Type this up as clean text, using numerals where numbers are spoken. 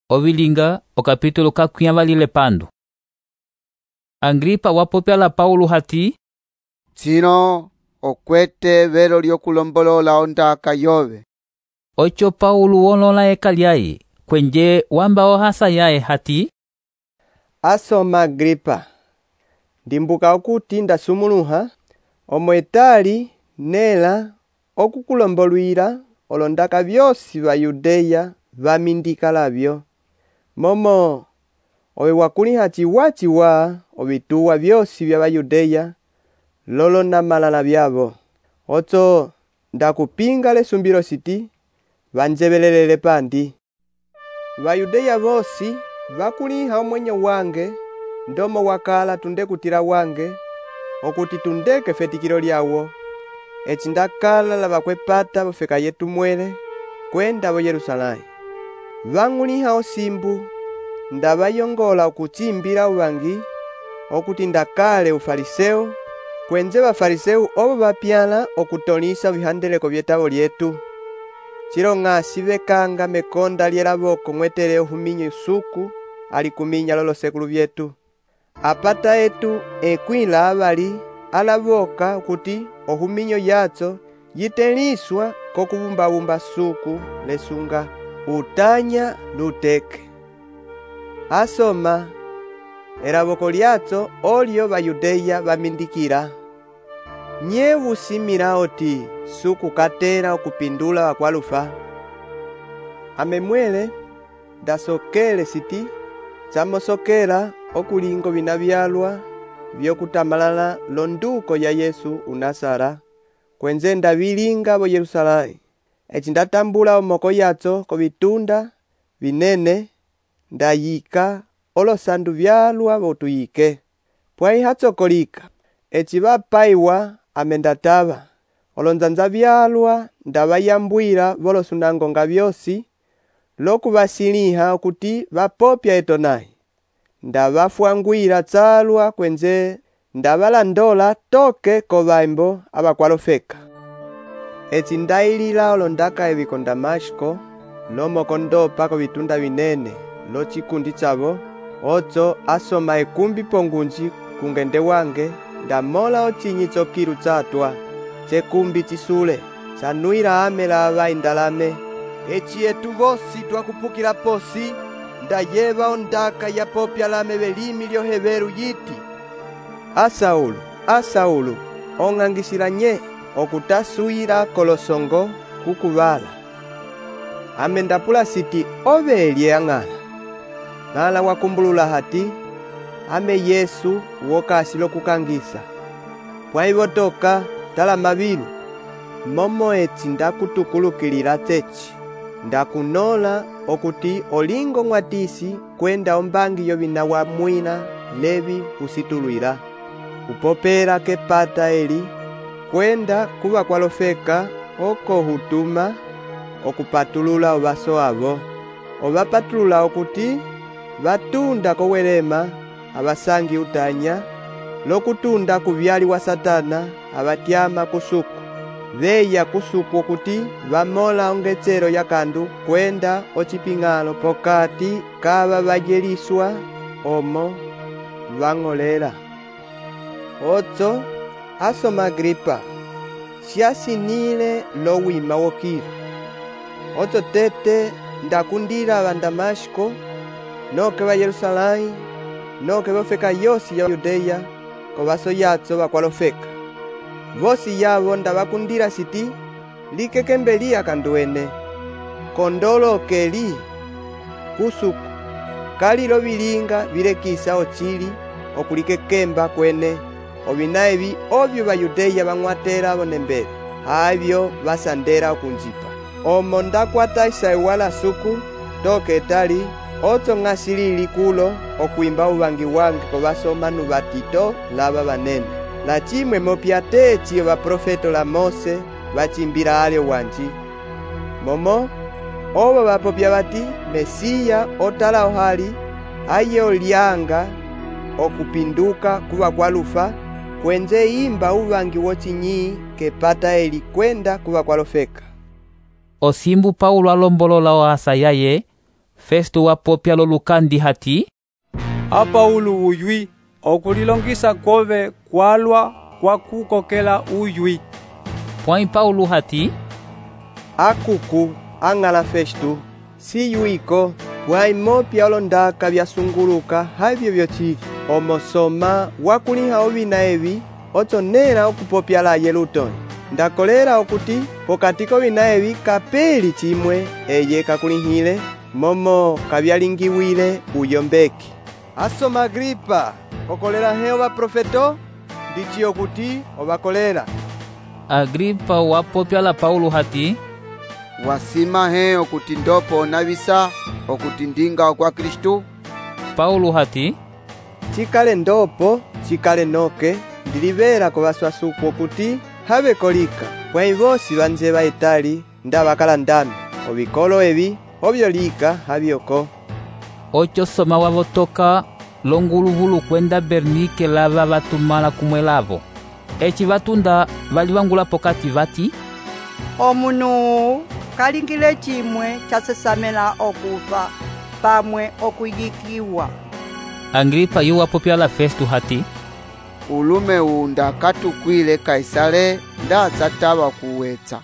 Ovilinga okapitulo kakwĩavalile pandu. Agripa wapopyala Paulo hati, Tsino okwete velo lyokulombolola ondaka yove. Ocho Paulo wolola eka lyaye, kwenje wamba ohasa yaye hati, Asoma Agripa, ndimbuka okuti ndasumuluha, omwetali nela okukulombolwira olondaka vyosi va Yudeya vamindika lavyo. Momo owe wakuliha chiwa ovituwa vyosi vya Yudeya lolo na malala vyavo. Oto ndakupinga lesumbiro siti vanjebelelele pandi. Vayudeya vosi vakuliha omwenyo wange ndomo wakala tunde kutira wange okuti tundeke fetikilo lyawo. Eci ndakala lavakwepata vofeka yetu mwele kwenda vo Yerusalemu. Vanguliha osimbu ndavayongola okuchimbila uvangi okuti ndakale ufariseu kwenje vafariseu ovo vapyala okutolisa vihandeleko vyetavo lyetu. Chilong'asi vekanga mekonda lyelavoko mwetele ohuminyo suku alikuminya lolo sekulu vyetu. Apata etu ekwila avali alavoka okuti ohuminyo yatso yiteliswa kokubumba suku lesunga utanya luteke. Asoma elavoko lyatso olyo Vayudeya vamindikila. Nye usimila oti suku katela okupindula wakwalufa. Amemwele dasokele siti chamosokela okulingo vinavyalwa vyokutamalala londuko ya Yesu unasara kwenze ndavilinga vo Yerusalemu. Eci ndatambula omoko yatso kovitunda vinene ndayika olosandu vyalwa votuyike. Pwai hatsokolika eci vapaiwa amendatava olonzanza vyalwa ndavayambwila volosunangonga vyosi lokuvasiliha okuti vapopya etonai. Ndavafwangwila tsalwa kwenze ndavalandola toke kovaimbo avakwalofeka. Eci ndailila olondaka eviko Damashko lomoko ndopa kovitunda vinene lo chikundi chavo. Ocho asoma ekumbi pongunji kungende wange ndamola ochinyi chokilu chatwa chekumbi chisule chanuila amela avaindalame. Eci etu vosi twakupukila posi ndayeva ondaka ya popya lame velimi lyoheveru yiti, Asaulu, Asaulu, ong'angisila nye okutasuila kolosongo kukuvala. Ame ndapula siti ovelye ang'ala. Ng'ala wakumbulula hati ame Yesu wokasi lokukangisa. Pwaivotoka tala mavilu momo eci ndakutukulukilila techi. Ndakunola okuti olingo ng'watisi kwenda ombangi yovina wa mwina levi usitulwila. Upopela kepata eli kwenda kuva kwalofeka oko hutuma okupatulula ovaso avo. Ovapatulula okuti vatunda kowelema avasangi utanya lokutunda kuvyali wa Satana avatyama kusuku. Veya kusuku okuti vamola ongetsero yakandu kwenda ochiping'alo pokati kava vajeliswa omo vang'olela. Ocho asoma Agripa, syasinile lowima wokila. Ocho tete ndakundila va Damashko noke va Yerusalemu noke vofeka yosi ya Yudeya kovaso yatso vakwalofeka. Vosi yavo ndavakundila siti likekembelia kanduene kondolo keli kusuku kalilo vilinga vilekisa ochili okulikekemba kwene ovina evi ovyo Vayudeya vang'watela vonembele avyo vasandela okunjipa. Omo ndakwata isaiwala suku toke etali ocho ng'asilili kulo okwimba uvangi wange kovasomanu vatito lava vanene. La chimwe mopyate eci vaprofeto la Mose vachimbila alyo wanji. Momo ovo vapopya vati Mesiya otala ohali aye olyanga okupinduka kuva kwalufa kwenze imba uvangi wochinyi kepata eli kwenda kuva kwalofeka. Osimbu Paulo alombolola ohasa yaye Festo wapopya lolukandi hati, a Paulo uywi okulilongisa kove kwalwa kwa kukokela uywi. pwãyi Paulo hati, Akuku ang'ala Festo siyuiko pwãyi mopya olondaka vyasunguluka havyo vyocili omosoma wakuliha ovina evi otsonera okupopya laye lutoni. Ndakolera okuti pokati kovina evi kapeli cimwe eye kakulihile momo kavyalingiwile uyombeki. Asoma Agripa, kokolera he ovaprofeto ndici okuti ovakolera. Agripa wapopya la Paulo hati, wasima he okuti ndopo navisa okuti ndinga kwa Kristu. Paulo hati, Cikale ndopo cikale noke ndilivera kovaswasuku okuti have kolika pwãyi vosi vanze vaetali nda vakala ndame ovikolo evi ovyolika havyoko. oco soma wavotoka longuluvulu kwenda Bernike lava vatumala kumwe lavo. Eci vatunda vali vangula pokati vati, omunu kalingile cimwe casesamela okufa pamwe okuyikiwa. Agripa yu wapopya la Festo hati, ulume unda katukwile Kaisale nda tsatava kuwetsa.